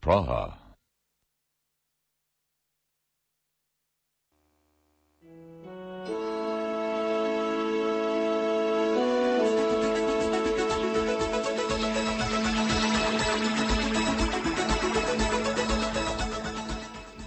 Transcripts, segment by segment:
Praha.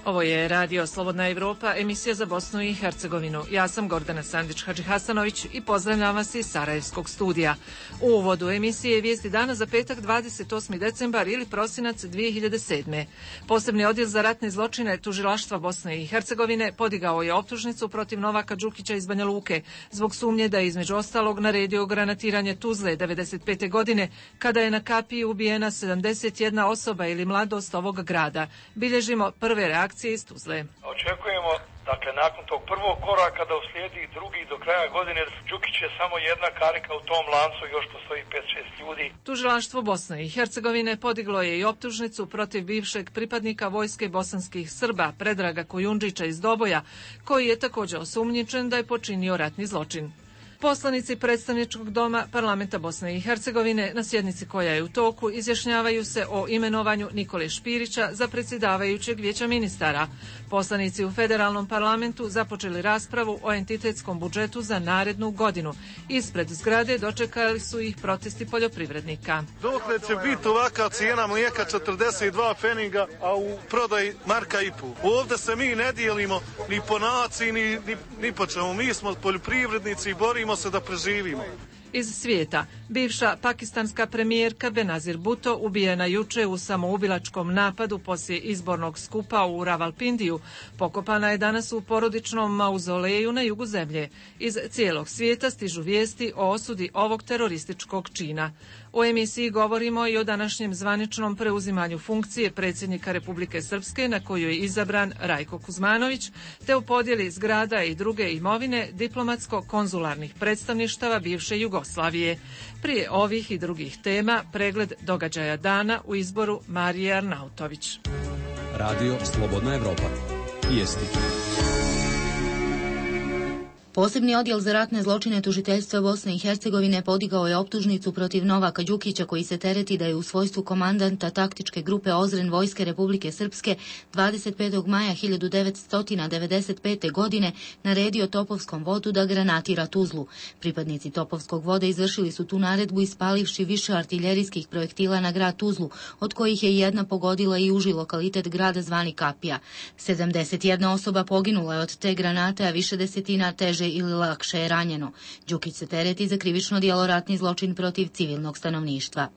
Ovo je Radio Slobodna Evropa, emisija za Bosnu i Hercegovinu. Ja sam Gordana Sandić-Hadžihasanović i pozdravljam vas iz Sarajevskog studija. U uvodu emisije vijesti dana za petak 28. decembar ili prosinac 2007. Posebni odjel za ratne zločine Tužilaštva Bosne i Hercegovine podigao je optužnicu protiv Novaka Đukića iz Banja Luke zbog sumnje da je između ostalog naredio granatiranje Tuzle 95. godine kada je na kapiji ubijena 71 osoba ili mladost ovog grada. Bilježimo prve reakcije iz Tuzle. Očekujemo, dakle, nakon tog prvog koraka da uslijedi drugi do kraja godine. Đukić je samo jedna karika u tom lancu, još postoji 5-6 ljudi. Tužilaštvo Bosne i Hercegovine podiglo je i optužnicu protiv bivšeg pripadnika vojske bosanskih Srba Predraga Kujundžića iz Doboja, koji je također osumnjičen da je počinio ratni zločin. Poslanici predstavničkog doma Parlamenta Bosne i Hercegovine na sjednici koja je u toku izjašnjavaju se o imenovanju Nikole Špirića za predsjedavajućeg vijeća ministara. Poslanici u federalnom parlamentu započeli raspravu o entitetskom budžetu za narednu godinu. Ispred zgrade dočekali su ih protesti poljoprivrednika. Dokle će biti ovaka cijena mlijeka 42 pfeniga, a u prodaji marka i pol. Ovdje se mi ne dijelimo ni po naciji, ni po čemu. Mi smo poljoprivrednici i borimo se da preživimo. Iz svijeta, bivša pakistanska premijerka Benazir Bhutto ubijena juče u samoubilačkom napadu poslije izbornog skupa u Ravalpindiju. Pokopana je danas u porodičnom mauzoleju na jugu zemlje. Iz cijelog svijeta stižu vijesti o osudi ovog terorističkog čina. U emisiji govorimo i o današnjem zvaničnom preuzimanju funkcije predsjednika Republike Srpske na koju je izabran Rajko Kuzmanović, te u podjeli zgrada i druge imovine diplomatsko-konzularnih predstavništava bivše Jugoslavije. Prije ovih i drugih tema pregled događaja dana u izboru Marije Arnautović. Radio Slobodna Evropa. Vijesti. Posebni odjel za ratne zločine Tužiteljstva Bosne i Hercegovine podigao je optužnicu protiv Novaka Đukića koji se tereti da je u svojstvu komandanta taktičke grupe Ozren Vojske Republike Srpske 25. maja 1995. godine naredio Topovskom vodu da granatira Tuzlu. Pripadnici Topovskog voda izvršili su tu naredbu ispalivši više artiljerijskih projektila na grad Tuzlu, od kojih je jedna pogodila i uži lokalitet grada zvani Kapija. 71 osoba poginula je od te granate, a više desetina teže ili lakše je ranjeno. Đukić se tereti za krivično djelo ratni zločin protiv civilnog stanovništva.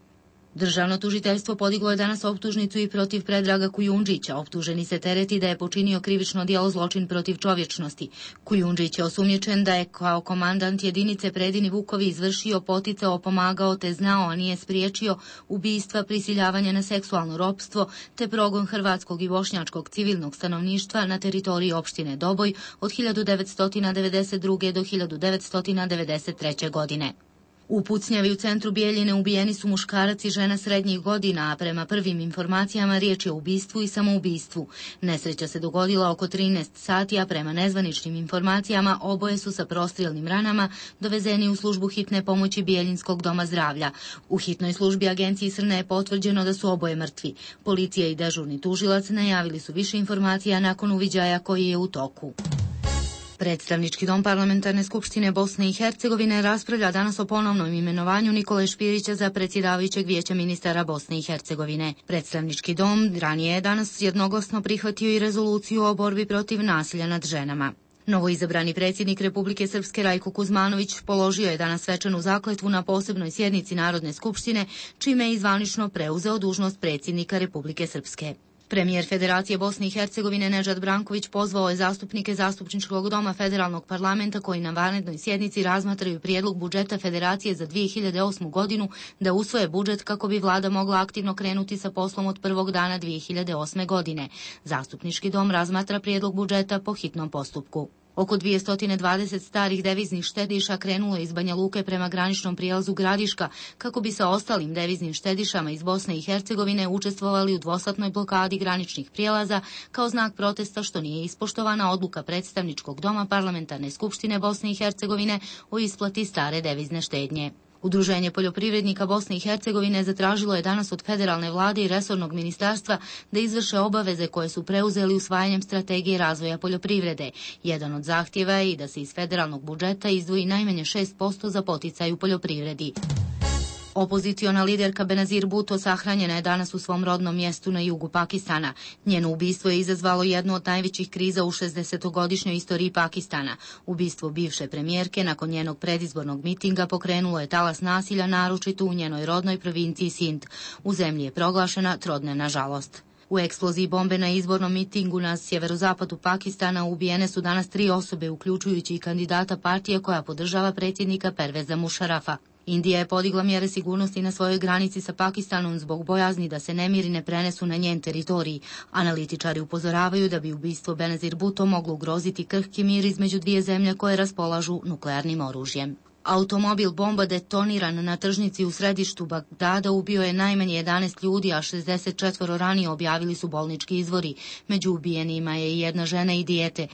Državno tužiteljstvo podiglo je danas optužnicu i protiv Predraga Kujundžića. Optuženi se tereti da je počinio krivično djelo zločin protiv čovječnosti. Kujundžić je osumnjičen da je kao komandant jedinice Predini Vukovi izvršio, poticao, pomagao te znao, a nije spriječio ubistva, prisiljavanje na seksualno ropstvo te progon hrvatskog i bošnjačkog civilnog stanovništva na teritoriji opštine Doboj od 1992. do 1993. godine. U pucnjavi u centru Bijeljine ubijeni su muškarac i žena srednjih godina, a prema prvim informacijama riječ je o ubistvu i samoubistvu. Nesreća se dogodila oko 13 sati, a prema nezvaničnim informacijama oboje su sa prostrilnim ranama dovezeni u službu hitne pomoći Bijeljinskog doma zdravlja. U hitnoj službi agenciji Srne je potvrđeno da su oboje mrtvi. Policija i dežurni tužilac najavili su više informacija nakon uviđaja koji je u toku. Predstavnički dom Parlamentarne skupštine Bosne i Hercegovine raspravlja danas o ponovnom imenovanju Nikole Špirića za predsjedavajućeg vijeća ministara Bosne i Hercegovine. Predstavnički dom ranije je danas jednoglasno prihvatio i rezoluciju o borbi protiv nasilja nad ženama. Novoizabrani predsjednik Republike Srpske Rajko Kuzmanović položio je danas svečanu zakletvu na posebnoj sjednici Narodne skupštine, čime je zvanično preuzeo dužnost predsjednika Republike Srpske. Premijer Federacije Bosne i Hercegovine Nedžad Branković pozvao je zastupnike Zastupničkog doma Federalnog parlamenta koji na vanrednoj sjednici razmatraju prijedlog budžeta Federacije za 2008. godinu da usvoje budžet kako bi vlada mogla aktivno krenuti sa poslom od prvog dana 2008. godine. Zastupnički dom razmatra prijedlog budžeta po hitnom postupku. Oko 220 starih deviznih štediša krenulo je iz Banja Luke prema graničnom prijelazu Gradiška kako bi sa ostalim deviznim štedišama iz Bosne i Hercegovine učestvovali u dvosatnoj blokadi graničnih prijelaza kao znak protesta što nije ispoštovana odluka Predstavničkog doma Parlamentarne skupštine Bosne i Hercegovine o isplati stare devizne štednje. Udruženje poljoprivrednika Bosne i Hercegovine zatražilo je danas od federalne vlade i resornog ministarstva da izvrše obaveze koje su preuzeli usvajanjem strategije razvoja poljoprivrede. Jedan od zahtjeva je i da se iz federalnog budžeta izdvoji najmanje 6% za poticaj u poljoprivredi. Opoziciona liderka Benazir Bhutto sahranjena je danas u svom rodnom mjestu na jugu Pakistana. Njeno ubistvo je izazvalo jednu od najvećih kriza u 60-godišnjoj istoriji Pakistana. Ubistvo bivše premijerke nakon njenog predizbornog mitinga pokrenulo je talas nasilja, naročito u njenoj rodnoj provinciji Sind. U zemlji je proglašena trodnevna žalost. U eksploziji bombe na izbornom mitingu na sjeverozapadu Pakistana ubijene su danas 3 osobe, uključujući i kandidata partije koja podržava predsjednika Perveza Mušarafa. Indija je podigla mjere sigurnosti na svojoj granici sa Pakistanom zbog bojazni da se nemiri ne prenesu na njen teritorij. Analitičari upozoravaju da bi ubistvo Benazir Bhutto moglo ugroziti krhki mir između dvije zemlje koje raspolažu nuklearnim oružjem. Automobil bomba detoniran na tržnici u središtu Bagdada ubio je najmanje 11 ljudi, a 64 ranije, objavili su bolnički izvori. Među ubijenima je i jedna žena i dijete.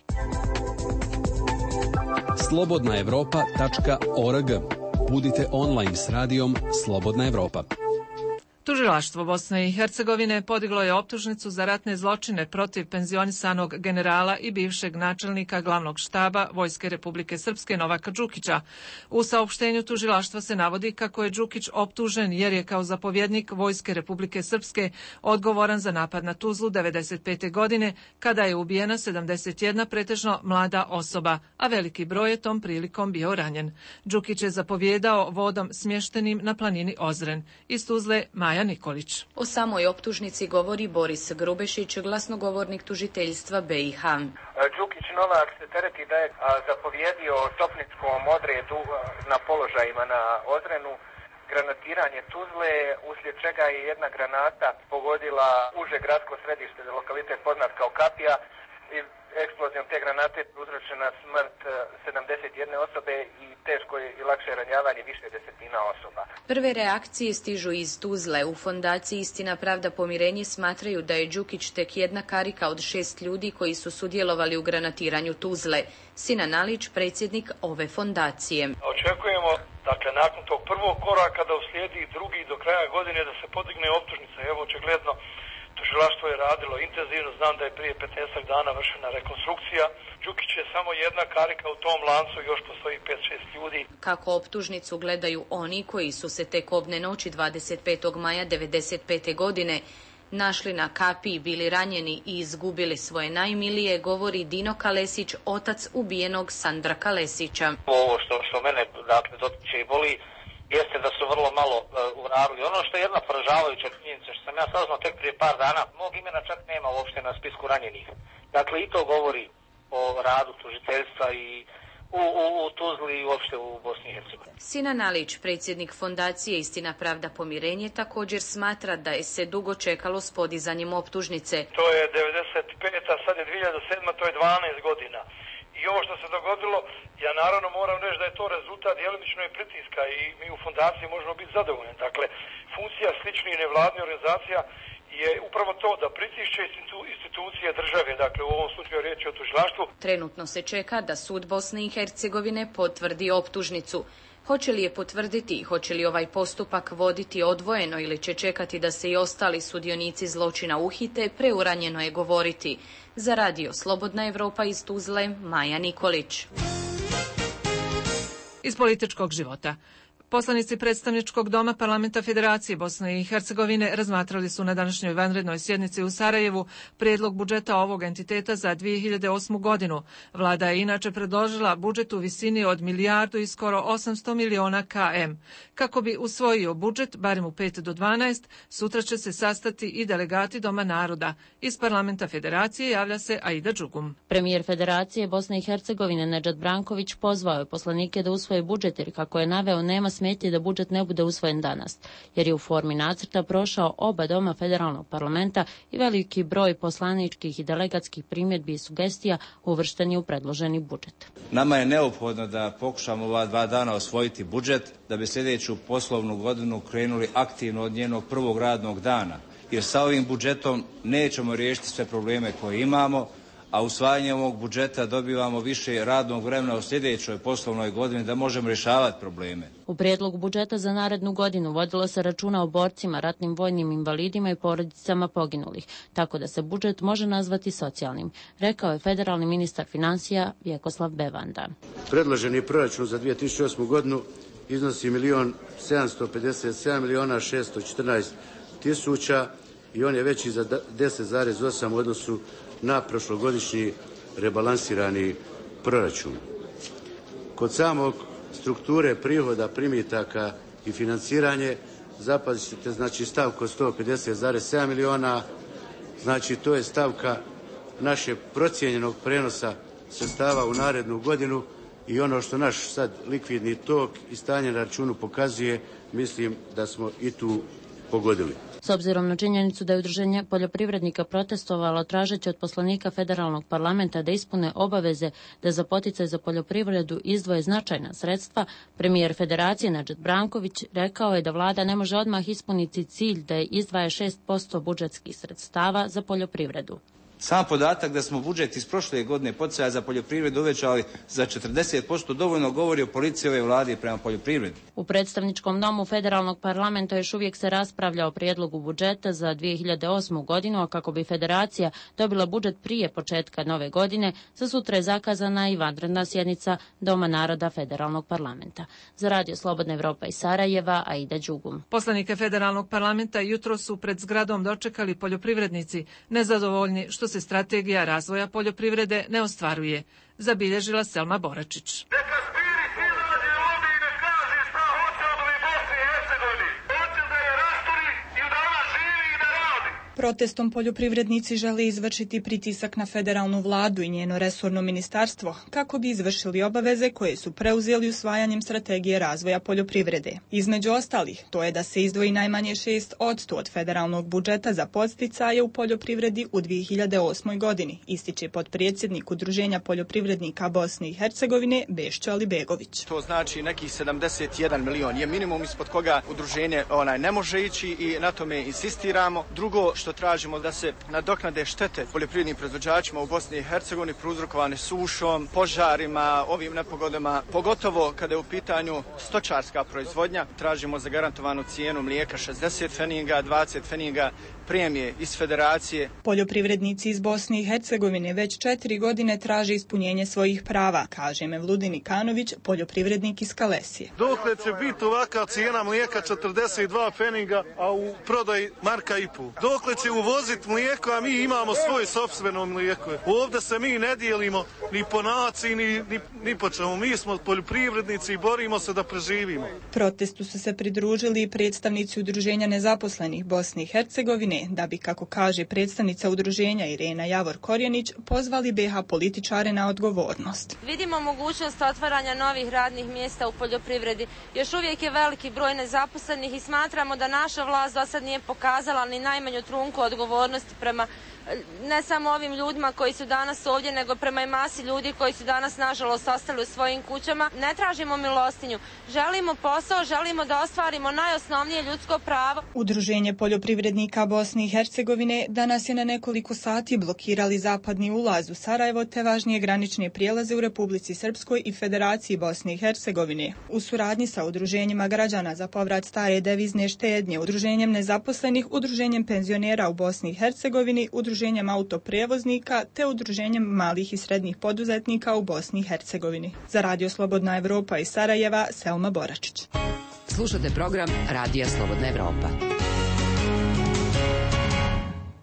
Slobodnaevropa.org. Budite online s radijom Slobodna Evropa. Tužilaštvo Bosne i Hercegovine podiglo je optužnicu za ratne zločine protiv penzionisanog generala i bivšeg načelnika glavnog štaba Vojske Republike Srpske Novaka Đukića. U saopštenju tužilaštva se navodi kako je Đukić optužen jer je kao zapovjednik Vojske Republike Srpske odgovoran za napad na Tuzlu 1995. godine, kada je ubijena 71 pretežno mlada osoba, a veliki broj je tom prilikom bio ranjen. Đukić je zapovjedao vodom smještenim na planini Ozren. Iz Tuzle Maja Nikolić. O samoj optužnici govori Boris Grubešić, glasnogovornik tužiteljstva BiH. Đukić Novak se tereti da je zapovjedio topničkom odredu na položajima na Ozrenu granatiranje Tuzle, uslijed čega je jedna granata pogodila uže gradsko središte, lokalitet poznat kao Kapija, i eksplozijom te granate uzročena smrt 71 osobe i teško i lakše ranjavanje više desetina osoba. Prve reakcije stižu iz Tuzle. U fondaciji Istina, pravda, pomirenje smatraju da je Đukić tek jedna karika od 6 ljudi koji su sudjelovali u granatiranju Tuzle. Sinan Alić, predsjednik ove fondacije. Očekujemo, dakle, nakon tog prvog koraka da uslijedi drugi do kraja godine da se podigne optužnica. Evo, očigledno, tužilaštvo je radilo intenzivno, znam da je prije 15 dana vršena rekonstrukcija. Đukić je samo jedna karika u tom lancu, još postoji 5-6 ljudi. Kako optužnicu gledaju oni koji su se tek obne noći 25. maja 1995. godine našli na Kapiji, bili ranjeni i izgubili svoje najmilije, govori Dino Kalesić, otac ubijenog Sandra Kalesića. Ovo što mene dakle dotiče i boli jeste da su vrlo malo uradili. Ono što je jedna poražavajuća činjenica, što sam ja saznao tek prije par dana, mog imena čak nema uopšte na spisku ranjenih. Dakle, i to govori o radu tužiteljstva i u Tuzli i uopšte u Bosni i Hercegovini. Sinan Alić, predsjednik fondacije Istina, pravda, pomirenje, također smatra da je se dugo čekalo s podizanjem optužnice. To je 95. a sad je 2007. to je 12 godina. I ovo što se dogodilo, ja naravno moram reći da je to rezultat djelomično i pritiska i mi u fondaciji možemo biti zadovoljni. Dakle, funkcija sličnih nevladnih organizacija je upravo to da pritišće institucije države, dakle u ovom slučaju riječ je o tužilaštvu. Trenutno se čeka da sud Bosne i Hercegovine potvrdi optužnicu. Hoće li je potvrditi, hoće li ovaj postupak voditi odvojeno ili će čekati da se i ostali sudionici zločina uhite, preuranjeno je govoriti. Za radio Slobodna Evropa iz Tuzle, Maja Nikolić. Iz političkog života. Poslanici predstavničkog doma Parlamenta Federacije Bosne i Hercegovine razmatrali su na današnjoj vanrednoj sjednici u Sarajevu prijedlog budžeta ovog entiteta za 2008. godinu. Vlada je inače predložila budžet u visini od milijardu i skoro 800 miliona km. Kako bi usvojio budžet, barem u 5 do 12, sutra će se sastati i delegati Doma naroda. Iz Parlamenta Federacije javlja se Aida Đugum. Premijer Federacije Bosne i Hercegovine Nedžad Branković pozvao je poslanike da usvoje budžet jer, kako je naveo, nema smetnje da budžet ne bude usvojen danas, jer je u formi nacrta prošao oba doma federalnog parlamenta i veliki broj poslaničkih i delegatskih primjedbi i sugestija uvršteni u predloženi budžet. Nama je neophodno da pokušamo ova 2 dana osvojiti budžet, da bi sljedeću poslovnu godinu krenuli aktivno od njenog prvog radnog dana, jer sa ovim budžetom nećemo riješiti sve probleme koje imamo, a usvajanjem ovog budžeta dobivamo više radnog vremena u sljedećoj poslovnoj godini da možemo rješavati probleme. U prijedlogu budžeta za narednu godinu vodilo se računa o borcima, ratnim vojnim invalidima i porodicama poginulih, tako da se budžet može nazvati socijalnim, rekao je federalni ministar financija Vjekoslav Bevanda. Predloženi proračun za 2008. godinu iznosi 1.757.614.000 i on je veći za 10,8 u odnosu na prošlogodišnji rebalansirani proračun. Kod samog strukture prihoda, primitaka i financiranje zapazite, znači stavku 150,7 milijuna, znači to je stavka našeg procijenjenog prenosa sredstava u narednu godinu i ono što naš sad likvidni tok i stanje na računu pokazuje, mislim da smo i tu pogodili. S obzirom na činjenicu da je Udruženje poljoprivrednika protestovalo tražeći od poslanika federalnog parlamenta da ispune obaveze da za poticaj za poljoprivredu izdvoje značajna sredstva, premijer Federacije Nedžad Branković rekao je da vlada ne može odmah ispuniti cilj da je izdvaja 6% budžetskih sredstava za poljoprivredu. Sam podatak da smo budžet iz prošle godine poticaja za poljoprivredu uvećali za 40% dovoljno govori o politici ove vlade prema poljoprivredi. U predstavničkom domu federalnog parlamenta još uvijek se raspravlja o prijedlogu budžeta za 2008. godinu, a kako bi federacija dobila budžet prije početka nove godine, za sutra je zakazana i vanredna sjednica Doma naroda federalnog parlamenta. Za Radio Slobodna Evropa iz Sarajeva, Aida Đugum. Poslanike federalnog parlamenta jutro su pred zgradom dočekali poljoprivrednici, nezadovoljni što se strategija razvoja poljoprivrede ne ostvaruje, zabilježila Selma Boračić. Protestom poljoprivrednici žele izvršiti pritisak na federalnu vladu i njeno resorno ministarstvo kako bi izvršili obaveze koje su preuzeli usvajanjem strategije razvoja poljoprivrede. Između ostalih, to je da se izdvoji najmanje 6% od federalnog budžeta za podsticaje u poljoprivredi u 2008. godini, ističe potpredsjednik Udruženja poljoprivrednika Bosne i Hercegovine Bešćo Alibegović. To znači nekih 71 milion je minimum ispod koga udruženje ne može ići i na tome insistiramo. Drugo, što tražimo da se nadoknade štete poljoprivrednim proizvođačima u Bosni i Hercegovini prouzrokovane sušom, požarima, ovim nepogodama, pogotovo kada je u pitanju stočarska proizvodnja. Tražimo zagarantovanu cijenu mlijeka 60 feninga, 20 feninga premije iz federacije. Poljoprivrednici iz Bosne i Hercegovine već 4 godine traže ispunjenje svojih prava, kaže Mevludin Ikanović, poljoprivrednik iz Kalesije. Dokle će biti ovakva cijena mlijeka 42 feninga, a u prodaji marka i pol? Dokle će uvoziti mlijeko, a mi imamo svoje sopstveno mlijeko? Ovdje se mi ne dijelimo ni po naciji, ni po čemu. Mi smo poljoprivrednici i borimo se da preživimo. Protestu su se pridružili i predstavnici Udruženja nezaposlenih Bosne i Hercegovine, da bi, kako kaže predstavnica udruženja Irena Javor-Korjenić, pozvali BiH političare na odgovornost. Vidimo mogućnost otvaranja novih radnih mjesta u poljoprivredi. Još uvijek je veliki broj nezaposlenih i smatramo da naša vlast do sad nije pokazala ni najmanju trunku odgovornosti prema ne samo ovim ljudima koji su danas ovdje, nego prema i masi ljudi koji su danas nažalost ostali u svojim kućama. Ne tražimo milostinju, želimo posao, želimo da ostvarimo najosnovnije ljudsko pravo. Udruženje poljoprivrednika Bosne i Hercegovine danas je na nekoliko sati blokirali zapadni ulaz u Sarajevo te važnije granične prijelaze u Republici Srpskoj i Federaciji Bosne i Hercegovine. U suradnji sa udruženjima građana za povrat stare devizne štednje, udruženjem nezaposlenih, udruženjem penzionera u Bosni i Hercegovini, udruženjem autoprevoznika te udruženjem malih i srednjih poduzetnika u Bosni i Hercegovini. Za Radio Slobodna Evropa iz Sarajeva, Selma Boračić. Slušate program Radija Slobodna Evropa.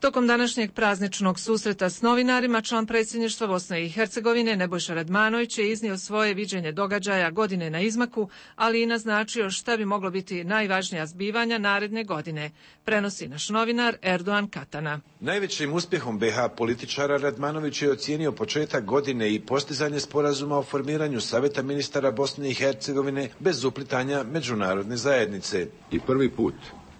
Tokom današnjeg prazničnog susreta s novinarima, član predsjedništva Bosne i Hercegovine Nebojša Radmanović je iznio svoje viđenje događaja godine na izmaku, ali i naznačio šta bi moglo biti najvažnija zbivanja naredne godine, prenosi naš novinar Erdogan Katana. Najvećim uspjehom BiH političara Radmanović je ocijenio početak godine i postizanje sporazuma o formiranju Saveta ministara Bosne i Hercegovine bez uplitanja međunarodne zajednice. I prvi put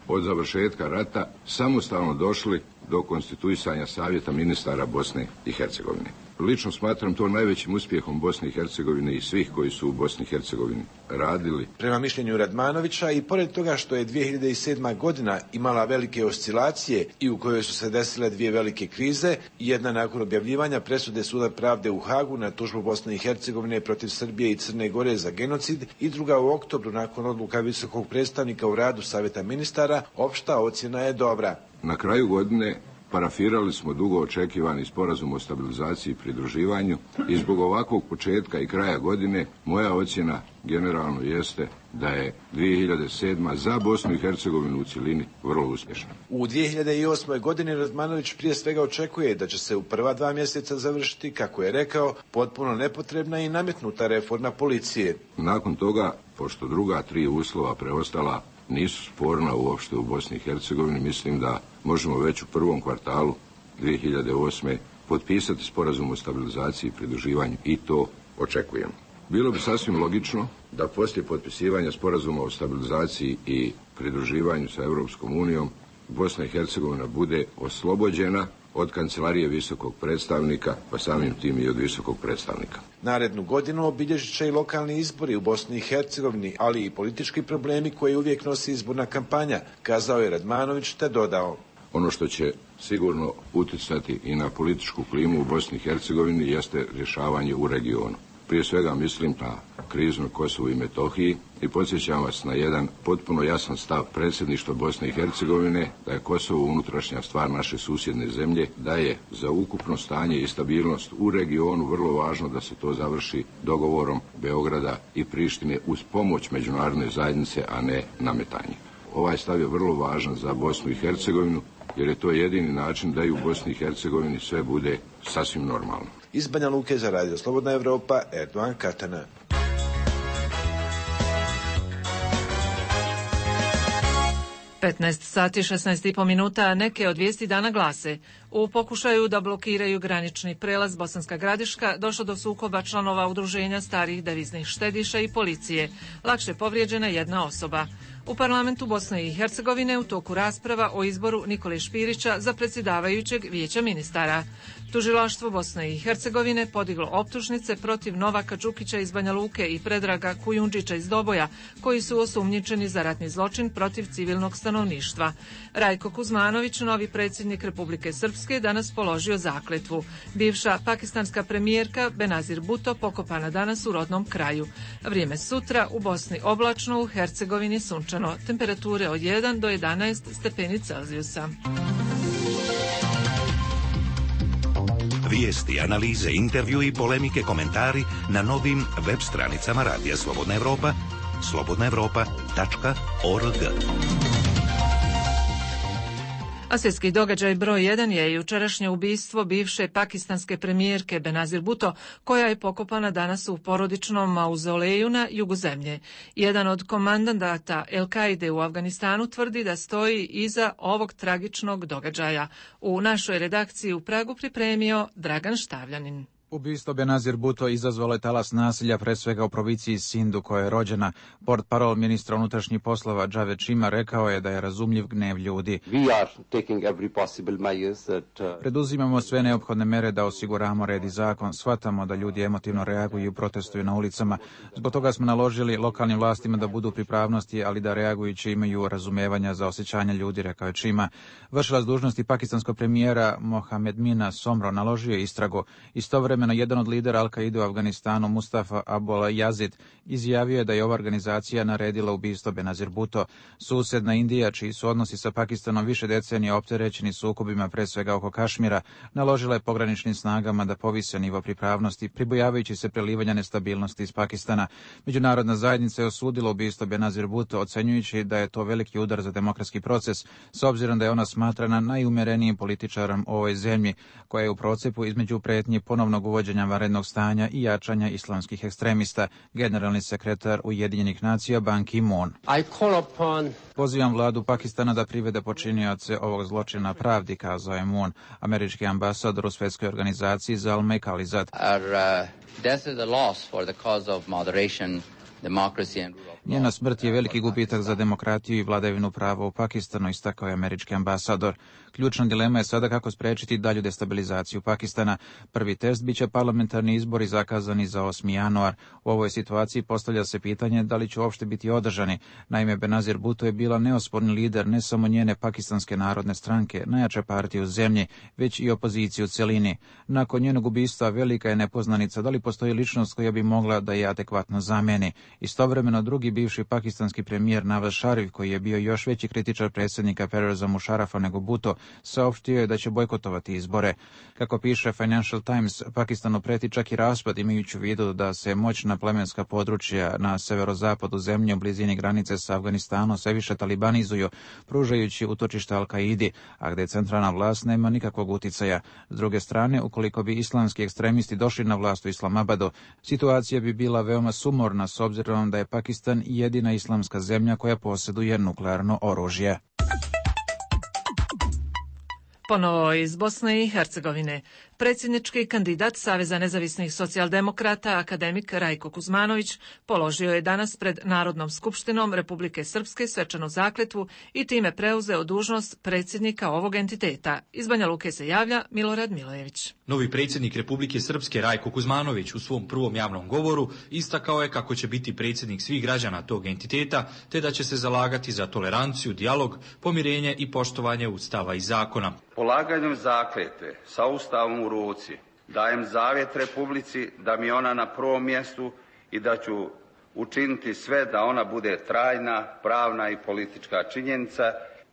od završetka rata samostalno došli do konstituisanja Savjeta ministara Bosne i Hercegovine. Lično smatram to najvećim uspjehom Bosne i Hercegovine i svih koji su u Bosni i Hercegovini radili. Prema mišljenju Radmanovića, i pored toga što je 2007. godina imala velike oscilacije i u kojoj su se desile dvije velike krize, jedna nakon objavljivanja presude Suda pravde u Hagu na tužbu Bosne i Hercegovine protiv Srbije i Crne Gore za genocid i druga u oktobru nakon odluka visokog predstavnika u radu Savjeta ministara, opšta ocjena je dobra. Na kraju godine parafirali smo dugo očekivani sporazum o stabilizaciji i pridruživanju i zbog ovakvog početka i kraja godine moja ocjena generalno jeste da je 2007. za Bosnu i Hercegovinu u cjelini vrlo uspješna. U 2008. godini Radmanović prije svega očekuje da će se u prva 2 mjeseca završiti, kako je rekao, potpuno nepotrebna i nametnuta reforma policije. Nakon toga, pošto druga 3 uslova preostala nisu sporna uopšte u Bosni i Hercegovini, mislim da možemo već u prvom kvartalu 2008. potpisati sporazum o stabilizaciji i pridruživanju i to očekujemo. Bilo bi sasvim logično da poslije potpisivanja sporazuma o stabilizaciji i pridruživanju sa Europskom unijom Bosna i Hercegovina bude oslobođena od kancelarije visokog predstavnika, pa samim tim i od visokog predstavnika. Narednu godinu obilježit će i lokalni izbori u Bosni i Hercegovini, ali i politički problemi koje uvijek nosi izborna kampanja, kazao je Radmanović te dodao. Ono što će sigurno utjecati i na političku klimu u Bosni i Hercegovini jeste rješavanje u regionu. Prije svega mislim na krizu na Kosovu i Metohiji i podsjećam vas na jedan potpuno jasan stav predsjedništva Bosne i Hercegovine da je Kosovo unutrašnja stvar naše susjedne zemlje, da je za ukupno stanje i stabilnost u regionu vrlo važno da se to završi dogovorom Beograda i Prištine uz pomoć međunarodne zajednice, a ne nametanje. Ovaj stav je vrlo važan za Bosnu i Hercegovinu jer je to jedini način da i u Bosni i Hercegovini sve bude sasvim normalno. Iz Banja Luke za Radio Slobodna Evropa, Erdogan Katana. 15 sati 16,5 minuta, neke od vijesti dana glase. U pokušaju da blokiraju granični prelaz Bosanska Gradiška došlo do sukoba članova udruženja starih deviznih štediša i policije. Lakše povrijeđena jedna osoba. U parlamentu Bosne i Hercegovine u toku rasprava o izboru Nikole Špirića za predsjedavajućeg vijeća ministara. Tužilaštvo Bosne i Hercegovine podiglo optužnice protiv Novaka Đukića iz Banja Luke i Predraga Kujundžića iz Doboja, koji su osumnjičeni za ratni zločin protiv civilnog stanovništva. Rajko Kuzmanović, novi predsjednik Republike Srpske, danas položio zakletvu. Bivša pakistanska premijerka Benazir Bhutto pokopana danas u rodnom kraju. Vrijeme sutra u Bosni oblačno, u Hercegovini sunčano. Temperature od 1 do 11 stepeni Celzijusa. Vijesti, analize, intervju i polemike, komentari na novim web stranicama Radija Slobodna Evropa, slobodnaevropa.org. A svjetski događaj broj 1 je jučerašnje ubistvo bivše pakistanske premijerke Benazir Bhutto, koja je pokopana danas u porodičnom mauzoleju na jugu zemlje. Jedan od komandanta El-Kaide u Afganistanu tvrdi da stoji iza ovog tragičnog događaja. U našoj redakciji u Pragu pripremio Dragan Štavljanin. Ubistvo Benazir Bhutto izazvalo je talas nasilja, pre svega u provinciji Sindu, koja je rođena. Portparol ministra unutrašnjih poslova Javed Shima rekao je da je razumljiv gnev ljudi. Preduzimamo sve neophodne mere da osiguramo red i zakon. Shvatamo da ljudi emotivno reaguju i protestuju na ulicama. Zbog toga smo naložili lokalnim vlastima da budu u pripravnosti, ali da reagujući imaju razumevanja za osjećanja ljudi, rekao je Shima. Vršilac dužnosti pakistanskog premijera Mohamed Mina Somro naložio je istragu. Istovremeno jedan od lidera Al-Kaide u Afganistanu, Mustafa Abul Yazid, izjavio je da je ova organizacija naredila ubistvo Benazir Bhutto. Susjedna Indija, čiji su odnosi sa Pakistanom više decenija opterećeni sukobima, pre svega oko Kašmira, naložila je pograničnim snagama da povise nivo pripravnosti, pribojavajući se prelivanja nestabilnosti iz Pakistana. Međunarodna zajednica je osudila ubistvo Benazir Bhutto, ocenjujući da je to veliki udar za demokratski proces, s obzirom da je ona smatrana najumerenijim političarom u ovoj zemlji, koja je u procepu između pretnje ponovnog uvođenja vanrednog stanja i jačanja islamskih ekstremista. Generalni sekretar Ujedinjenih nacija Ban Ki-moon. Pozivam vladu Pakistana da privede počinioce ovog zločina pravdi, kazao je Moon. Američki ambasador u svjetskoj organizaciji Zalmay Khalilzad. Njena smrt je veliki gubitak za demokratiju i vladavinu prava u Pakistanu, istakao je američki ambasador. Ključna dilema je sada kako sprečiti dalju destabilizaciju Pakistana. Prvi test biće parlamentarni izbori zakazani za 8. januar. U ovoj situaciji postavlja se pitanje da li će uopšte biti održani. Naime, Benazir Bhutto je bila neosporni lider ne samo njene Pakistanske narodne stranke, najjače partije u zemlji, već i opoziciju u celini. Nakon njenog ubistva velika je nepoznanica da li postoji ličnost koja bi mogla da je adekvatno zameni. Istovremeno drugi bivši pakistanski premijer Nawaz Sharif, koji je bio još veći kritičar predsjednika Perveza Musharafa nego Bhutto, saopštio je da će bojkotovati izbore. Kako piše Financial Times, Pakistanu preti čak i raspad, imajući u vidu da se moćna plemenska područja na severozapadu zemlje u blizini granice sa Afganistanom sve više talibanizuju, pružajući utočište Al-Kaidi, a gde centralna vlast nema nikakvog uticaja. S druge strane, ukoliko bi islamski ekstremisti došli na vlast u Islamabadu, situacija bi bila veoma sumorna s obzirom da je Pakistan jedina islamska zemlja koja posjeduje nuklearno oružje. Ponovo iz Bosne i Hercegovine. Predsjednički kandidat Saveza nezavisnih socijaldemokrata, akademik Rajko Kuzmanović, položio je danas pred Narodnom skupštinom Republike Srpske svečanu zakletvu i time preuzeo dužnost predsjednika ovog entiteta. Iz Banja Luke se javlja Milorad Milojević. Novi predsjednik Republike Srpske Rajko Kuzmanović u svom prvom javnom govoru istakao je kako će biti predsjednik svih građana tog entiteta, te da će se zalagati za toleranciju, dijalog, pomirenje i poštovanje Ustava i zakona. Polaganjem zakletve sa Ustavom u ruci dajem zavjet Republici da mi je ona na prvom mjestu i da ću učiniti sve da ona bude trajna, pravna i politička činjenica.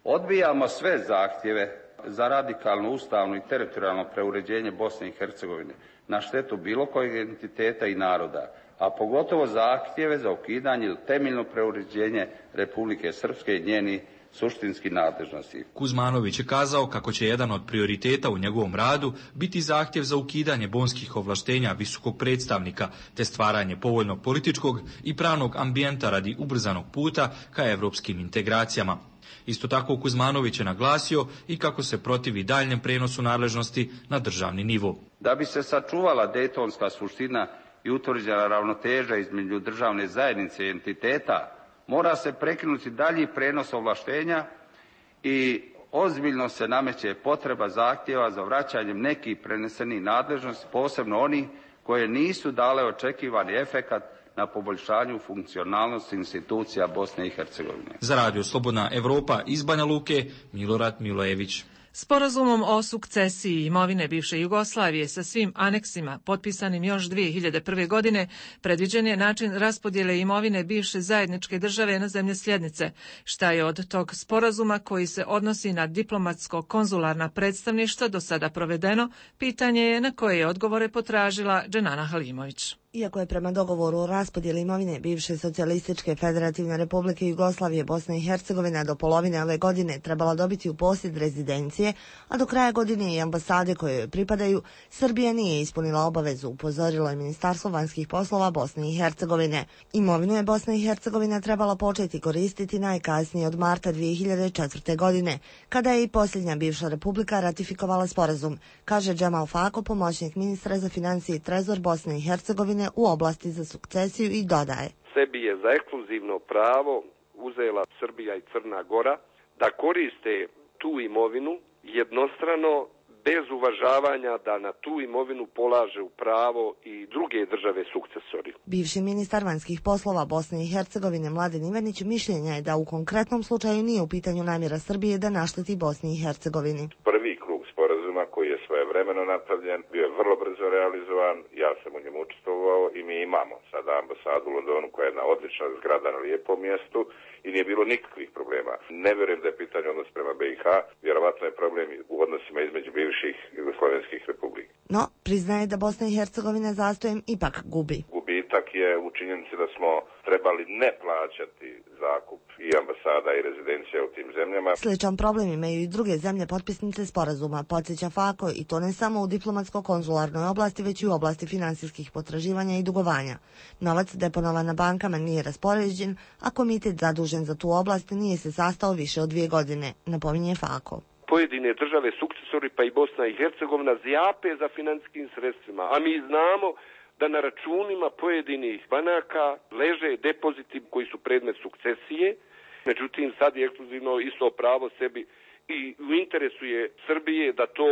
Odbijamo sve zahtjeve za radikalno ustavno i teritorijalno preuređenje Bosne i Hercegovine na štetu bilo kojeg entiteta i naroda, a pogotovo zahtjeve za ukidanje ili temeljno preuređenje Republike Srpske i njeni suštinski nadležnosti. Kuzmanović je kazao kako će jedan od prioriteta u njegovom radu biti zahtjev za ukidanje bonskih ovlaštenja visokog predstavnika te stvaranje povoljnog političkog i pravnog ambijenta radi ubrzanog puta ka evropskim integracijama. Isto tako Kuzmanović je naglasio i kako se protivi daljnjem prenosu nadležnosti na državni nivo. Da bi se sačuvala dejtonska suština i utvrđena ravnoteža između državne zajednice i entiteta, mora se prekinuti dalji prenos ovlaštenja i ozbiljno se nameće potreba zahtjeva za vraćanjem nekih prenesenih nadležnosti, posebno oni koje nisu dale očekivani efekat na poboljšanju funkcionalnosti institucija Bosne i Hercegovine. Za Radio Slobodna Evropa iz Banja Luke, Milorad Milojević. Sporazumom o sukcesiji imovine bivše Jugoslavije sa svim aneksima, potpisanim još 2001. godine, predviđen je način raspodjele imovine bivše zajedničke države na zemlje sljednice. Šta je od tog sporazuma koji se odnosi na diplomatsko-konzularna predstavništva do sada provedeno, pitanje je na koje je odgovore potražila Dženana Halimović. Iako je prema dogovoru o raspodjeli imovine bivše Socijalističke federativne republike Jugoslavije Bosna i Hercegovina do polovine ove godine trebala dobiti u posjed rezidencije, a do kraja godine i ambasade koje joj pripadaju, Srbija nije ispunila obavezu, upozorilo je Ministarstvo vanjskih poslova Bosne i Hercegovine. Imovinu je Bosna i Hercegovina trebala početi koristiti najkasnije od marta 2004. godine, kada je i posljednja bivša republika ratifikovala sporazum, kaže Džemal Fako, pomoćnik ministra za financije i trezor Bosne i Hercegovine u oblasti za sukcesiju, i dodaje: Sebi je za ekskluzivno pravo uzela Srbija i Crna Gora da koriste tu imovinu jednostrano, bez uvažavanja da na tu imovinu polaže u pravo i druge države sukcesori. Bivši ministar vanjskih poslova Bosne i Hercegovine Mladen Ivanić mišljenja je da u konkretnom slučaju nije u pitanju namjera Srbije da našteti Bosni i Hercegovini. Prvi krug sporazuma koji je svojevremeno napravljen bio je vrlo brzo realizovan, ja sam u njemu učestvovao i mi imamo sada ambasadu u Londonu koja je jedna odlična zgrada na lijepom mjestu i nije bilo nikakvih problema. Ne vjerujem da je pitanje odnos prema BiH, vjerovatno je problem u odnosima između bivših jugoslovenskih republika. No, priznaje da Bosna i Hercegovina zastojem ipak gubi. Gubitak je u činjenici da smo trebali ne plaćati zakup i ambasada i rezidencija u tim zemljama. Sličan problem imaju i druge zemlje potpisnice sporazuma, podsjeća Fako, i to ne samo u diplomatsko-konzularnoj oblasti, već i u oblasti finansijskih potraživanja i dugovanja. Novac deponovan na bankama nije raspoređen, a komitet zadužen za tu oblast nije se sastao više od 2 godine, napominje Fako. Pojedine države sukcesori, pa i Bosna i Hercegovina, zjape za financijskim sredstvima, a mi znamo da na računima pojedinih banaka leže depoziti koji su predmet sukcesije. Međutim, sad je ekskluzivno isto pravo sebi i u interesu je Srbije da to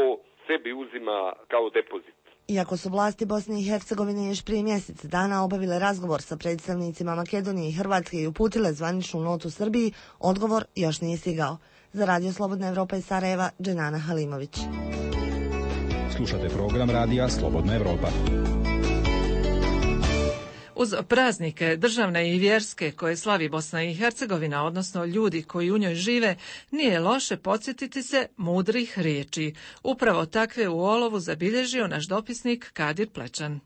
sebi uzima kao depozit. Iako su vlasti Bosne i Hercegovine još prije mjesec dana obavile razgovor sa predstavnicima Makedonije i Hrvatske i uputile zvaničnu notu Srbiji, odgovor još nije stigao. Za Radio Slobodna Evropa iz Sarajeva, Dženana Halimović. Slušate program Radija Slobodna Evropa. Uz praznike državne i vjerske koje slavi Bosna i Hercegovina, odnosno ljudi koji u njoj žive, nije loše podsjetiti se mudrih riječi. Upravo takve u Olovu zabilježio naš dopisnik Kadir Plečan.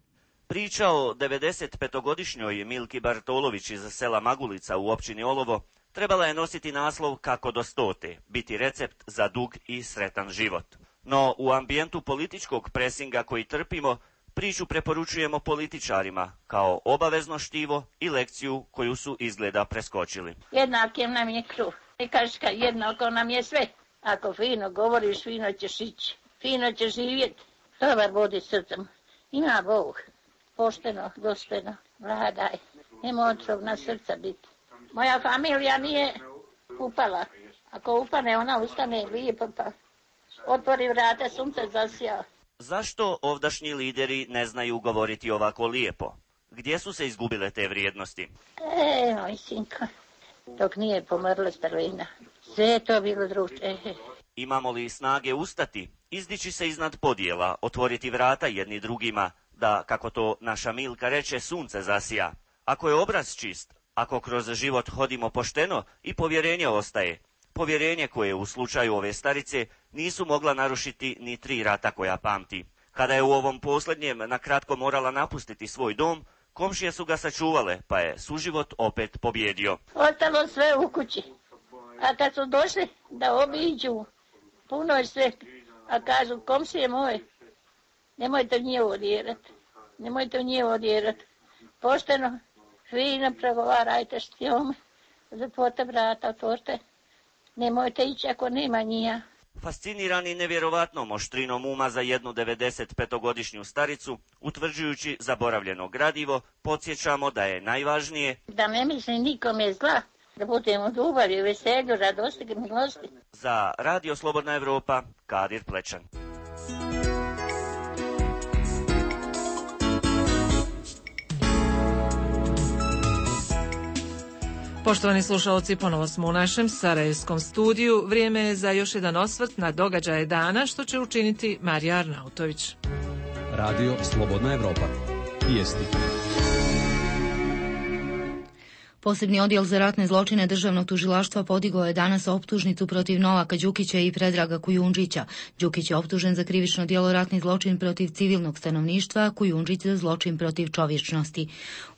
Priča o 95-godišnjoj Milki Bartolović iz sela Magulica u općini Olovo trebala je nositi naslov Kako do 100, biti recept za dug i sretan život. No u ambijentu političkog presinga koji trpimo, priču preporučujemo političarima kao obavezno štivo i lekciju koju su izgleda preskočili. Jednakim nam je kruh. I kažka, jednako nam je sve. Ako fino govoriš, fino ćeš ići. Fino ćeš živjeti. Dobar vodi srcem. Ima Bog. Pošteno, dostojno. Vladaj. Nema otrovna srca biti. Moja familija nije upala. Ako upane, ona ustane lijepo pa otvori vrata, sunce zasija. Zašto ovdašnji lideri ne znaju govoriti ovako lijepo? Gdje su se izgubile te vrijednosti? Moj sinko, dok nije pomrla starina. Sve je to bilo druže. Imamo li snage ustati, izdići se iznad podjela, otvoriti vrata jedni drugima, da, kako to naša Milka reče, sunce zasija? Ako je obraz čist, ako kroz život hodimo pošteno i povjerenje ostaje, povjerenje koje u slučaju ove starice nisu mogla narušiti ni 3 rata koja pamti. Kada je u ovom posljednjem nakratko morala napustiti svoj dom, komšije su ga sačuvale, pa je suživot opet pobjedio. Ostalo sve u kući. A kad su došli da obiđu, puno je sve. A kažu, komšije moje, nemojte u nje odjerati. Pošteno, fino pregovarajte s njom, zatvorite vrata, otvorite. Nemojte ići ako nema njija. Fascinirani nevjerovatnom oštrinom uma za jednu 95-godišnju staricu, utvrđujući zaboravljeno gradivo, podsjećamo da je najvažnije da ne misli nikome zla, da budemo u ljubavi, veselju, radosti i milosti. Za Radio Slobodna Evropa, Kadir Plečan. Poštovani slušalci, ponovo smo u našem sarajevskom studiju. Vrijeme je za još jedan osvrt na događaje dana, što će učiniti Marija Arnautović. Radio Slobodna Evropa. Vijesti. Posebni odjel za ratne zločine državnog tužilaštva podigao je danas optužnicu protiv Novaka Đukića i Predraga Kujundžića. Đukić je optužen za krivično djelo ratni zločin protiv civilnog stanovništva, a Kujundžić za zločin protiv čovječnosti.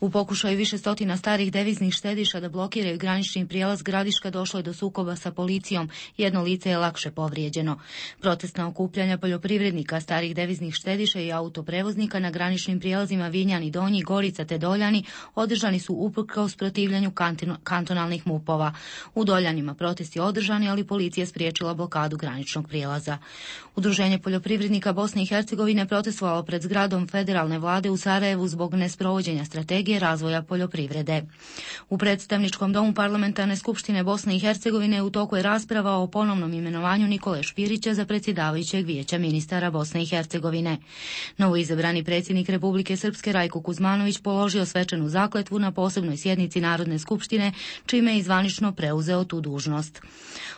U pokušaju više stotina starih deviznih štediša da blokiraju granični prijelaz Gradiška došlo je do sukoba sa policijom. Jedno lice je lakše povrijeđeno. Protestna okupljanja poljoprivrednika, starih deviznih štediša i autoprevoznika na graničnim prijelazima Vinjani Donji, Gorica te Doljani održani su uprkos protivljenju kantonalnih MUP-ova. U Doljanima protesti održani, ali policija spriječila blokadu graničnog prijelaza. Udruženje poljoprivrednika Bosne i Hercegovine protestovalo pred zgradom federalne vlade u Sarajevu zbog nesprovođenja strategije razvoja poljoprivrede. U predstavničkom domu parlamentarne skupštine Bosne i Hercegovine u toku je rasprava o ponovnom imenovanju Nikole Špirića za predsjedavajućeg vijeća ministara Bosne i Hercegovine. Novoizabrani predsjednik Republike Srpske Rajko Kuzmanović položio svečanu zakletvu na posebnoj sjednici Narodne skupštine, čime je zvanično preuzeo tu dužnost.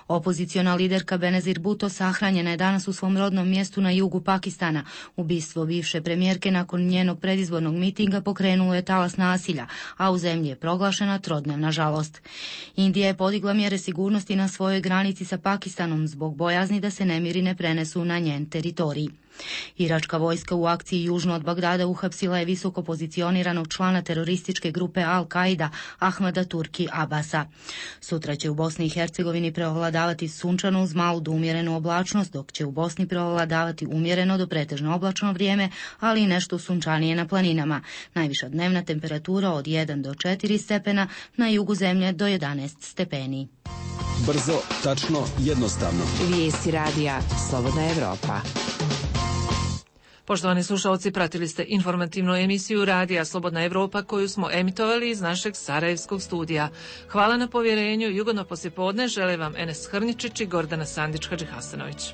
Opoziciona liderka Benazir Bhutto sahranjena je danas u svom rodnom mjestu na jugu Pakistana. Ubistvo bivše premijerke nakon njenog predizbornog mitinga pokrenulo je talas nasilja, a u zemlji je proglašena trodnevna žalost. Indija je podigla mjere sigurnosti na svojoj granici sa Pakistanom zbog bojazni da se nemiri ne prenesu na njen teritorij. Iračka vojska u akciji južno od Bagdada uhapsila je visoko pozicioniranog člana terorističke grupe Al-Qaida Ahmada Turki Abasa. Sutra će u Bosni i Hercegovini prevladavati sunčano uz malu do umjerenu oblačnost, dok će u Bosni prevladavati umjereno do pretežno oblačno vrijeme, ali i nešto sunčanije na planinama. Najviša dnevna temperatura od 1 do 4 stepena, na jugu zemlje do 11 stepeni. Brzo, tačno, jednostavno. Vijesti radija Slobodna Evropa. Poštovani slušalci, pratili ste informativnu emisiju Radija Slobodna Evropa koju smo emitovali iz našeg sarajevskog studija. Hvala na povjerenju i ugodno poslijepodne žele vam Enes Hrničić i Gordana Sandić-Hadžihasanović.